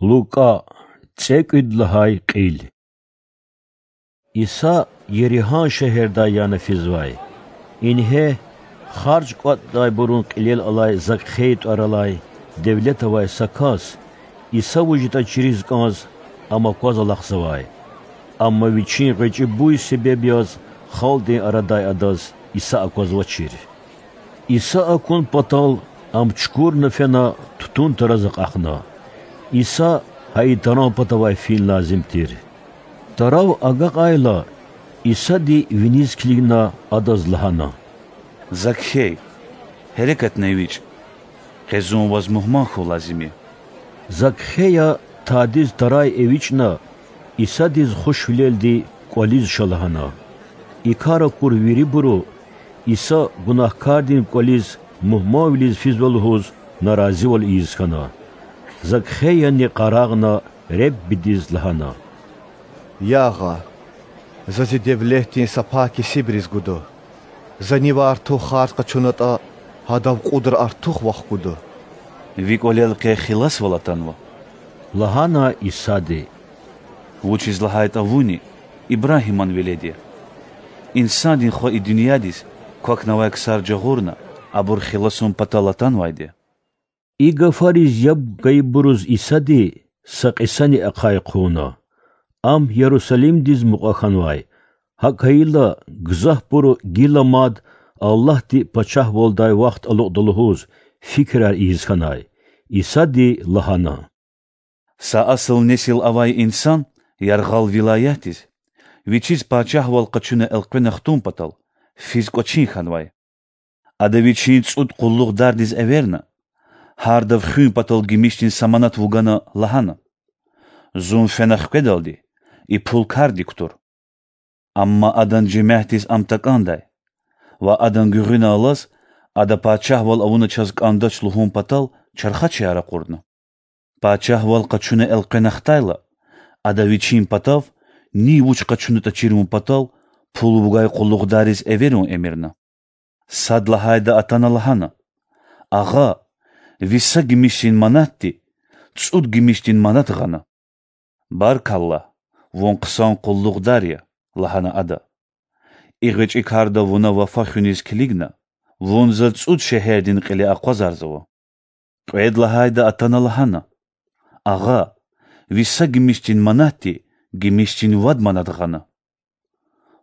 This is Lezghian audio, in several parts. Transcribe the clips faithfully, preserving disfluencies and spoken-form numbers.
Лукӏа, цӏекӏуьд лагьай кьил. Иса Еригьан шегьердай яна физвай. Ингье, харж кӏватӏдайбурун кьилел алай Закхей тӏвар алай, девлет авай са кас, Иса вуж ятӏа чириз кӏанз, ам акваз алахъзавай. Амма вичин гъвечӏи буй себеб яз халкьдин арадай адаз Иса аквазвачир. Иса акун патал, ам чукурна фена тутун тараз акьахна. Иса гьа и таран патавай фин лазим тир. Тарав агакьайла, Исади виниз килигна, адаз лагьана: Закхей, гьерекатна эвичӏ. Къе зун ваз мугьман хьун лазим я. Закхея тадиз тарай эвичӏна, Исадиз хушвилелди кӏвализ ша лагьана. И кар акур вирибуру Иса гунагькардин кӏвализ мугьманвилиз физва лугьуз наразивал ийиз хьана. Закхеяни къарагъна, Реббидиз лагьана: Я Агъа, за зи девлетдин са пай кесибриз гуда. За нивай артух харж къачунатӏа, гьадав кьудра артух вахкуда. Ви кӏвалел къе хиласвал атанва,– лагьана Исади,– вучиз лагьайтӏа вуни Ибрагьиман велед я. Инсандин Хва и дуьньядиз квахьнавай ксар жагъурна, абур хиласун патал атанвайди я. И гафариз яб гайибуруз Исади са кьисани ахъай хъувуна. Ам Ярусалимдиз мукьва хьанвай. Гьакӏ хьайила, гзафбуру гила мад Аллагьди пачагьвалдай вахт алукьда лугьуз фикирар ийиз хьанай. Исади лагьана: Са асул несил авай инсан яргъал вилаятдиз, вичиз пачагьвал къачуна элкъвена хтун патал, физ кӏвачин хьанвай. Ада вичин цӏуд къуллугъдардиз эверна, гьардав хуьн патал гимишдин са манат вугана, лагьана: Зун фена хкведалди, и пул кардик кутур. Амма адан жемятдиз ам такӏандай ва адан гуьгъуьна алаз, ада пачагьвал авуна чаз кӏандач лугьун патал чархачияр ракъурна. Пачагьвал къачуна элкъвена хтайла, ада вичин патав, нин вуч къачунатӏа чирун патал, пул вугай къуллугъдариз эверун эмирна. Сад лагьайда атана лагьана: Агъа, ви са гимишдин манатди цӏуд гимишдин манат гъана. Баркалла, вун хъсан къуллугъдар я,– лагьана ада. И гъвечӏи карда вуна вафа хуьниз килигна, вун заз цӏуд шегьердин кьиле акъвазарзава. Кьвед лагьайда атана лагьана: Агъа, ви са гимишдин манатди гимишдин вад манат гъана.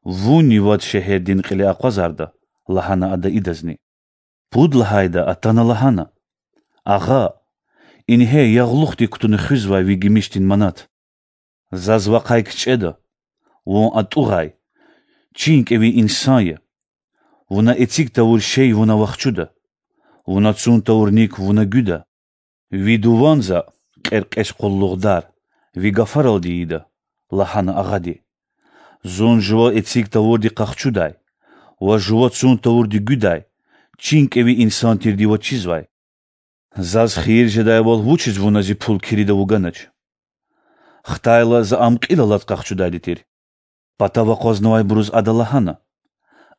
Вунни вад шегьердин кьиле акъвазарда,– лагьана ада идазни. Пуд лагьайда атана лагьана: Агъа, ингье ягълухдик кутуна хуьзвай ви гимишдин манат. Заз вакъай кичӏеда: вун атӏугъай, чин кӏеви инсан я. Вуна эциг тавур шей вун авахчуда, вуна цун тавурник вуна гуьда. Ви дуван за, кьеркьеч къуллугъдар, ви гафаралди ийида,– лагьана агъади. Зун жува эциг тавурди къахчудай ва жува цун тавурди гуьдай чин кӏеви инсан тирди ваз чизвай. Заз хийир жедайвал вучиз вуна зи пул кирида вуганач? Хтайла, за ам кьил алаз къахчудайди тир. Патав акъвазнавайбуруз ада лагьана: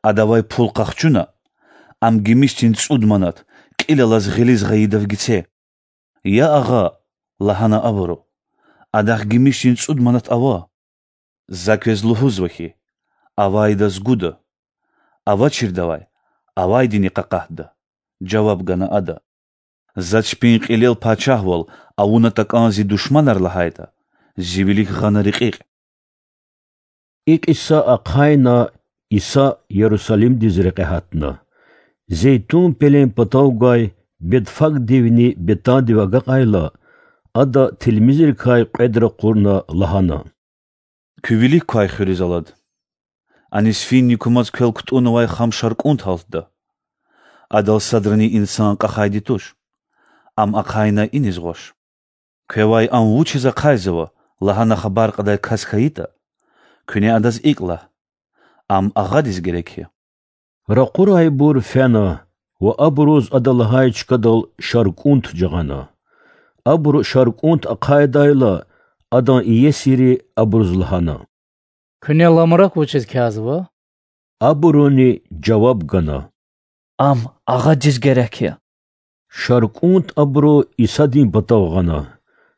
Адавай пул къахчуна, ам гимишдин цӏуд манат кьил алаз гъилиз гъайидав гице. Я агъа,– лагьана абуру,– адахъ гимишдин цӏуд манат ава. За квез лугьузва хьи, авайдаз гуда, авачирдавай авайдини къакъатда,– жаваб гана ада. За чпин кьилел пачагьвал авуна такӏан зи душманар лагьайтӏа, зи вилик гъана рекьикь. И кьиса ахъайна, Иса Ярусалимдиз рекье гьатна. Зейтун пелен патав гвай Бетфагдивни Бетандив агакьайла, Ада тилмизрикай кьвед ракъурна, лагьана: Куь вилик квай хуьруьз алад. Аниз финни кумаз квел кутӏуннавай хам шаркӏунт гьалтда. Адал садрани инсан кьахайди туш. Ам ахъайна иниз гъваш. Квевай ам вучиз ахъайзава лагьана хабар кьадай кас хьайитӏа, куьне адаз икӏ лагь: Ам агъадиз герек я. Ракъурайбур фена ва абуруз ада лагьай чкадал шаркӏунт жагъана. Абуру шаркӏунт ахъайдайла, адан иесири абуруз лагьана: Куьне ламрак вучиз кязава? Абуруни жаваб гана: Ам агъадиз герек я. ШаркӀунт абуру Исадин патав гъана.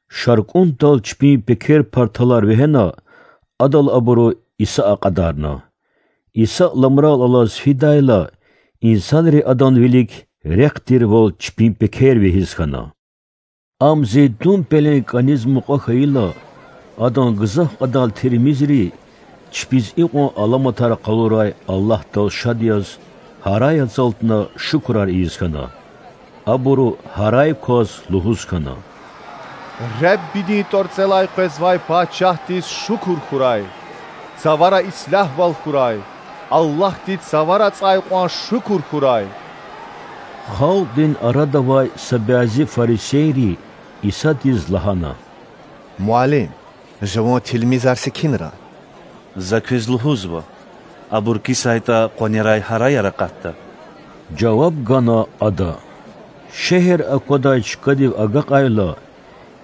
Шаркьунтал чпин пекер парталар вегьена, адал абуру Иса акьадарна. Иса ламрал алаз фидайла, инсанри Адан вилик рехъ тирвал чпин пекер вегьиз хьана. Ам Зейтун пелен кӀаниз мукьва хьайила, Адан гзаф кьадар тилмизри, чпиз икьван аламатар къалурай Аллагьдал шад яз, гьарай ацалтна шукурар ийиз хьана. Абуру гьарай кваз лугьуз хьана: Реббидин тӀварцӀелай къвезвай Пачагьдиз шукур хьурай! Цавара ислягьвал хьурай! Аллагьди Цавара цӀай кьван шукур хьурай! Халкьдин арада авай са бязи фарисейри Исадиз лагьана: Муаллим, жуван тилмизар секинра. За квез лугьузва: абур кисайтӀа, къванерай гьараяр акъатда,– жаваб гана Ада. Шегьер аквадай чкадив агакьайла,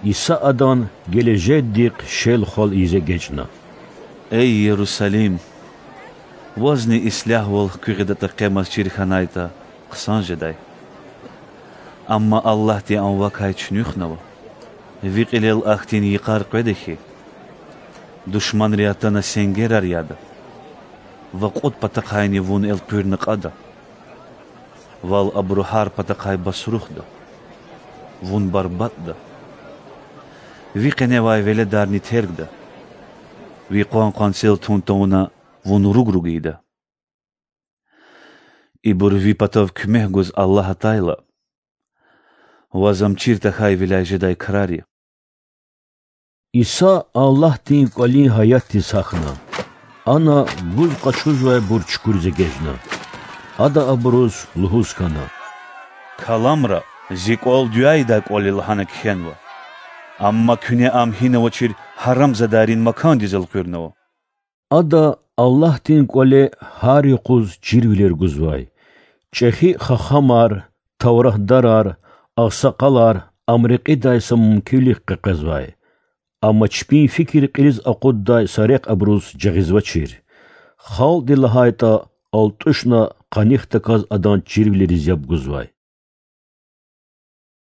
Иса адан гележегдихъ шел-хвал ийиз эгечӀна: Эй, Ярусалим! Вазни ислягьвал хквегъдатӀа къемаз чир хьанайтӀа, хъсан жедай. Амма Аллагьди ам вакай чуьнуьхнава. Ви кьилел ахьтин йикъар къведа хьи, душманри атана сенгерар яда ва кьуд патахъайни вун элкъуьрна кьада. Вал абуру гьар патахъай басрухда, вун барбатӀда. Ви къеневай веледарни тергда. Ви къван-къванцел тун тавуна вун руг-руг ийида. Ибур ви патав куьмек гуз Аллагь атайла, ваз ам чир тахьайвиляй жедай крар я. Иса Аллагьдин КӀвалин гьаятдиз гьахьна. Ана гуз къачузвайбур чукуриз эгечӀна. Ада абуруз лугьуз хьана: Каламра Зи кӀвал дуьа ийидай кӀвал я лагьана кхьенва. Амма куьне ам гьина авачир гьарамзадайрин макандиз элкъуьрнава. Ада Аллагьдин КӀвале гьар юкъуз чирвилер гузвай. ЧӀехи хахамар, тавратдарар, агъсакъалар Ам рекьидай са мумкинвилихъ къекъвезвай. Амма чпин фикир кьилиз акъуддай са рехъ абуруз жагъизвачир. Халкьди, лагьайтӀа, алтӀушна къанихдаказ Адан чирвилериз яб гузвай.